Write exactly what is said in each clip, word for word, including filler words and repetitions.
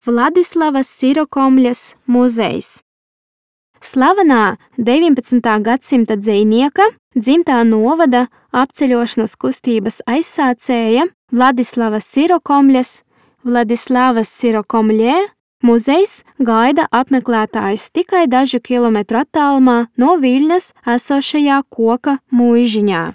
Vladislavas Sirokomļas muzejs. Slavenā deviņpadsmitā gadsimta dzejnieka, dzimtā novada apceļošanas kustības aizsācēja Vladislavas Sirokomļas, Vladislavas Sirokomļē, muzejs gaida apmeklētājus tikai dažu kilometru attālumā no Viļņas esošajā Koka muižiņā.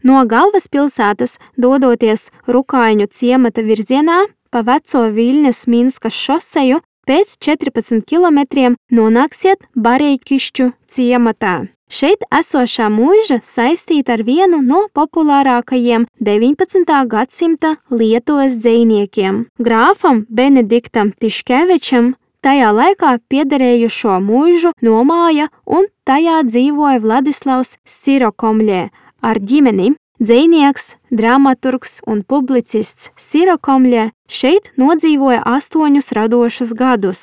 No galvaspilsētas dodoties Rukaiņu ciemata virzienā pa veco Viļņas Minskas šoseju, pēc četrpadsmit kilometriem nonāksiet Bareikišķu ciematā. Šeit esošā muiža saistīta ar vienu no populārākajiem deviņpadsmitā gadsimta Lietuvas dzejniekiem, grāfam Benediktam Tiškevičam. Tajā laikā piederējušo muižu nomāja un tajā dzīvoja Vladislavs Sirokomļē ar ģimeni. Dzejnieks, dramaturgs un publicists Sirokomļē šeit nodzīvoja astoņus radošus gadus.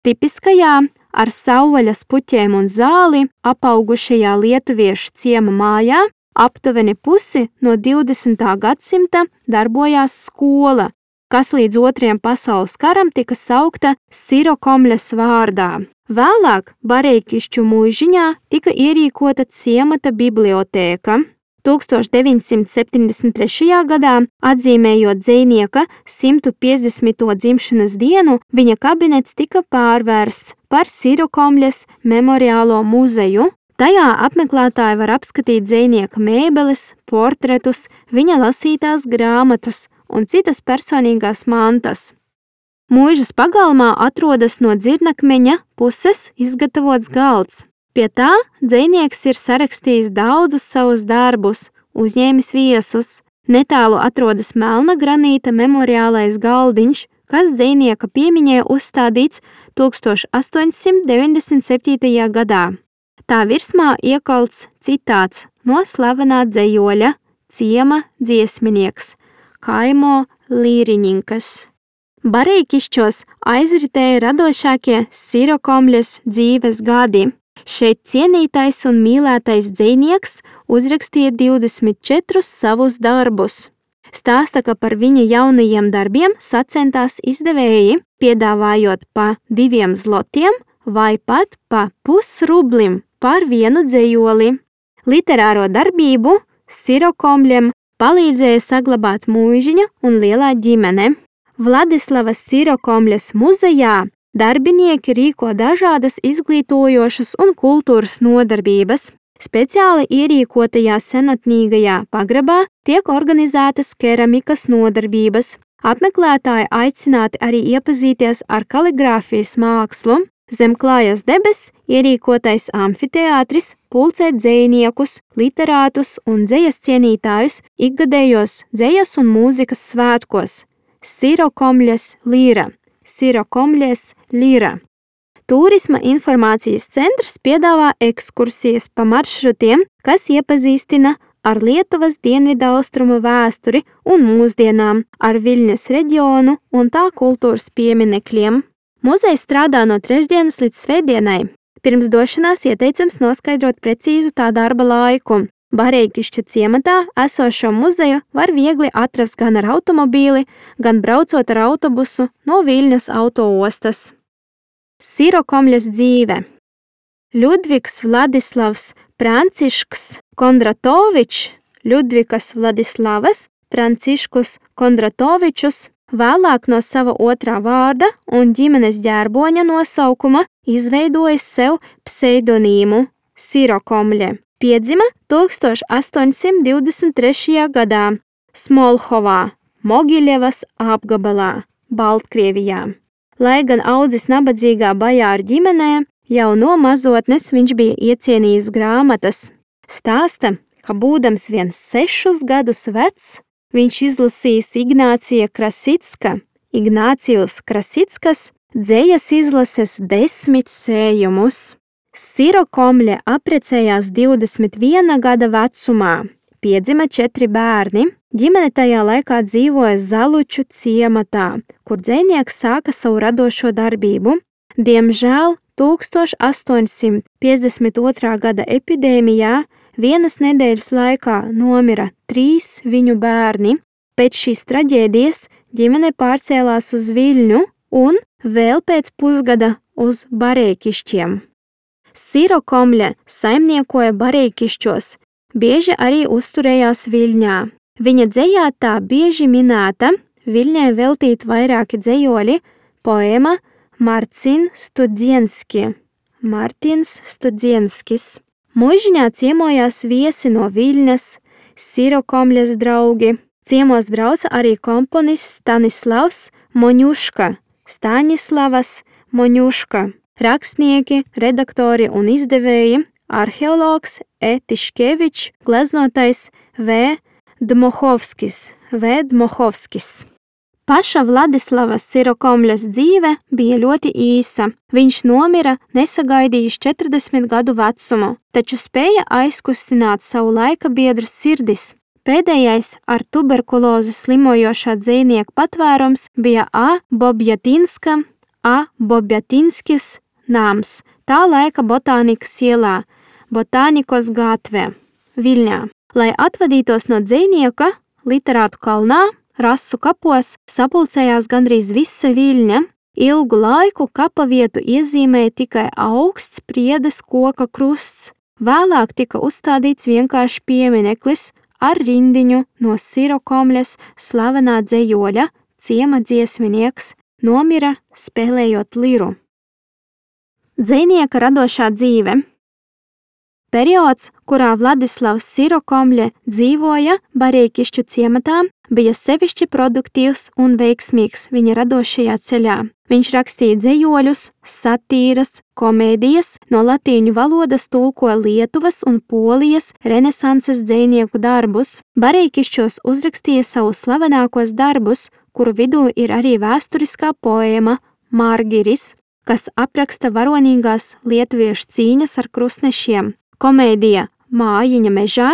Tipiskajā, ar savvaļas puķiem un zāli apaugušajā lietuviešu ciema mājā aptuveni pusi no divdesmitā gadsimta darbojās skola, kas līdz otrajam pasaules karam tika saukta Sirokomļas vārdā. Vēlāk Bareikišķu muižiņā tika ierīkota ciemata bibliotēka. tūkstoš deviņsimt septiņdesmit trešajā gadā, atzīmējot dzejnieka simt piecdesmito dzimšanas dienu, viņa kabinets tika pārvērsts par Sirokomļas memoriālo muzeju. Tajā apmeklētāji var apskatīt dzejnieka mēbeles, portretus, viņa lasītās grāmatas un citas personīgās mantas. Muižas pagalmā atrodas no dzirnakmeņa puses izgatavots galds. Pie tā dzejnieks ir sarakstījis daudzus savus darbus, uzņēmis viesus. Netālu atrodas melna granīta memoriālais galdiņš, kas dzejnieka piemiņai uzstādīts tūkstoš astoņsimt deviņdesmit septītajā gadā. Tā virsmā iekalts citāts no slavenā dzejoļa ciema dziesminieks Kaimo Līriņinkas. Bareikišķos aizritēja radošākie Sirokomļas dzīves gadi. Šeit cienītais un mīlētais dzejnieks uzrakstīja divdesmit četrus savus darbus. Stāsta, ka par viņa jaunajiem darbiem sacentās izdevēji, piedāvājot pa diviem zlotiem vai pat pa pusrublim par vienu dzejoli. Literāro darbību Sirokomļam palīdzēja saglabāt muižiņa un lielā ģimene. Vladislavas Sirokomļas muzejā darbinieki rīko dažādas izglītojošas un kultūras nodarbības. Speciāli ierīkotajā senatnīgajā pagrabā tiek organizētas keramikas nodarbības. Apmeklētāji aicināti arī iepazīties ar kaligrāfijas mākslu. Zem klājas debes ierīkotais amfiteātris pulcē dzejniekus, literātus un dzejas cienītājus ikgadējos dzejas un mūzikas svētkos. Sirokomļas līra. Sirokomļas līra. Tūrisma informācijas centrs piedāvā ekskursijas pa maršrutiem, kas iepazīstina ar Lietuvas dienvidaustrumu vēsturi un mūsdienām, ar Viļņas reģionu un tā kultūras pieminekļiem. Muzejs strādā no trešdienas līdz svētdienai. Pirms došanās ieteicams noskaidrot precīzu tā darba laiku. Bareikišķa ciematā esošo muzeju var viegli atrast gan ar automobīli, gan braucot ar autobusu no Viļņas autoostas. Sirokomļas dzīve. Ļudvigs Vladislavs Prancišks Kondratovičs, Ļudvikas Vladislavas Pranciškus Kondratovičus, vēlāk no sava otrā vārda un ģimenes ģērboņa nosaukuma izveidojis sev pseidonīmu Sirokomļe. Piedzima tūkstoš astoņsimt divdesmit trešajā gadā Smolhovā, Mogiļevas apgabalā, Baltkrievijā. Lai gan audzis nabadzīgā bajāru ģimenē, jau no mazotnes viņš bija iecienījis grāmatas. Stāsta, ka būdams viens sešus gadus vecs, viņš izlasījis Ignācija Krasicka, Ignācijus Krasickas, dzejas izlases desmit sējumus. Sirokomļe apprecējās divdesmit viena gada vecumā. Piedzima četri bērni. Ģimene tajā laikā dzīvoja Zaluču ciematā, kur dzejnieks sāka savu radošo darbību. Diemžēl tūkstoš astoņsimt piecdesmit otrā gada epidēmijā vienas nedēļas laikā nomira trīs viņu bērni. Pēc šīs traģēdijas ģimene pārcēlās uz Viļņu, un vēl pēc pusgada uz Bareikišķiem. Sirokomļa saimniekoja Bareikišķos, bieži arī uzturējās Viļņā. Viņa dzejā tā bieži minēta, Viļņai veltīt vairāki dzejoļi, poēma Marcin Studzienski. Martins Studzienskis. Muižiņā ciemojās viesi no Viļņas, Sirokomļas draugi. Ciemos brauca arī komponists Stanislavs Moņuška, Staņislavas Moņuška, rakstnieki, redaktori un izdevēji, arheologs E. Tiškevičs, gleznotais V. Dmohovskis, V. Dmohovskis. Paša Vladislava Sirokomļas dzīve bija ļoti īsa. Viņš nomira nesagaidījis četrdesmit gadu vecumu, taču spēja aizkustināt savu laika biedru sirdis. Pēdējais ar tuberkulozi slimojošā dzejnieka patvērums bija A. Bobjatinska, A. Bobjatinskis nams, tā laika botānikas ielā, Botānikos gātvē, Viļņā. Lai atvadītos no dzejnieka, literātu kalnā, rasu kapos sapulcējās gandrīz visa Viļņa. Ilgu laiku kapa vietu iezīmēja tikai augsts priedes koka krusts. Vēlāk tika uzstādīts vienkārši piemineklis ar rindiņu no Sirokomļas slavenā dzejoļa, ciema dziesminieks, nomira spēlējot liru. Dzejnieka radošā dzīve. Periods, kurā Vladislavs Sirokomļa dzīvoja Bareikišķu ciematā, bija sevišķi produktīvs un veiksmīgs viņa radošajā ceļā. Viņš rakstīja dzejoļus, satīras, komēdijas, no latīņu valodas tulkoja Lietuvas un Polijas renesanses dzejnieku darbus. Bareikišķos uzrakstīja savus slavenākos darbus, kuru vidū ir arī vēsturiskā poēma Margiris, kas apraksta varonīgās lietuviešu cīņas ar krustnešiem. Komēdija Mājiņa mežā,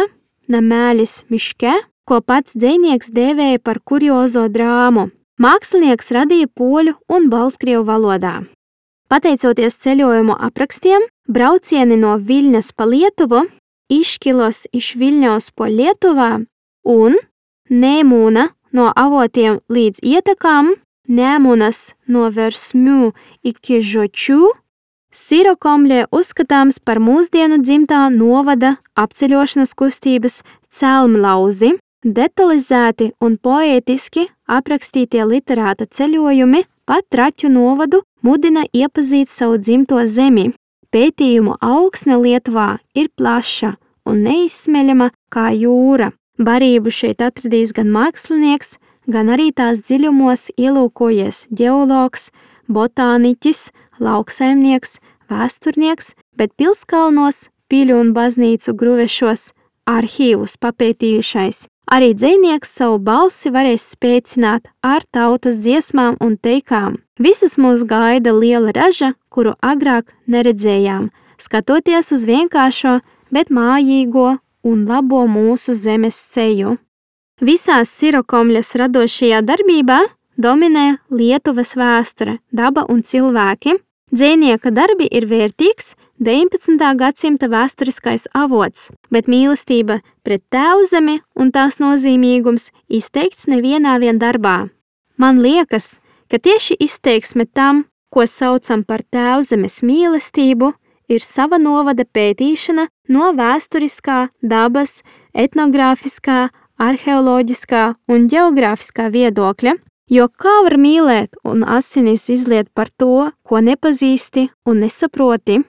Namēlis miške, ko pats dzejnieks dēvēja par kuriozo drāmu. Mākslinieks radīja poļu un baltkrievu valodā. Pateicoties ceļojumu aprakstiem, braucieni no Viļņas pa Lietuvu, Iškilos iš Viļņaus po Lietuvā un Nēmūna no avotiem līdz ietekām, Nēmunas no Versmiu iki Žoču, Sirokomļa uzskatāms par mūsdienu dzimtā novada apceļošanas kustības celmlauzi. Detalizēti un poētiski aprakstītie literāta ceļojumi pa Traķu novadu mudina iepazīt savu dzimto zemi. Pētījumu augsne Lietuvā ir plaša un neizsmeļama kā jūra. Barību šeit atradīs gan mākslinieks, gan arī tās dziļumos ielūkojies ģeologs, botāniķis, lauksaimnieks, vēsturnieks, bet pilskalnos, piļu un baznīcu gruvešos arhīvus papētījušais. Arī dzejnieks savu balsi varēs spēcināt ar tautas dziesmām un teikām. Visus mūs gaida liela raža, kuru agrāk neredzējām, skatoties uz vienkāršo, bet mājīgo un labo mūsu zemes seju. Visās Sirokomļas radošajā darbībā dominē Lietuvas vēsture, daba un cilvēki. Dzejnieka darbi ir vērtīgs deviņpadsmitā gadsimta vēsturiskais avots, bet mīlestība pret tēvzemi un tās nozīmīgums izteikts nevienā vien darbā. Man liekas, ka tieši izteiksme tam, ko saucam par tēvzemes mīlestību, ir sava novada pētīšana no vēsturiskā, dabas, etnogrāfiskā, arheoloģiskā un ģeogrāfiskā viedokļa, jo kā var mīlēt un asinis izliet par to, ko nepazīsti un nesaproti?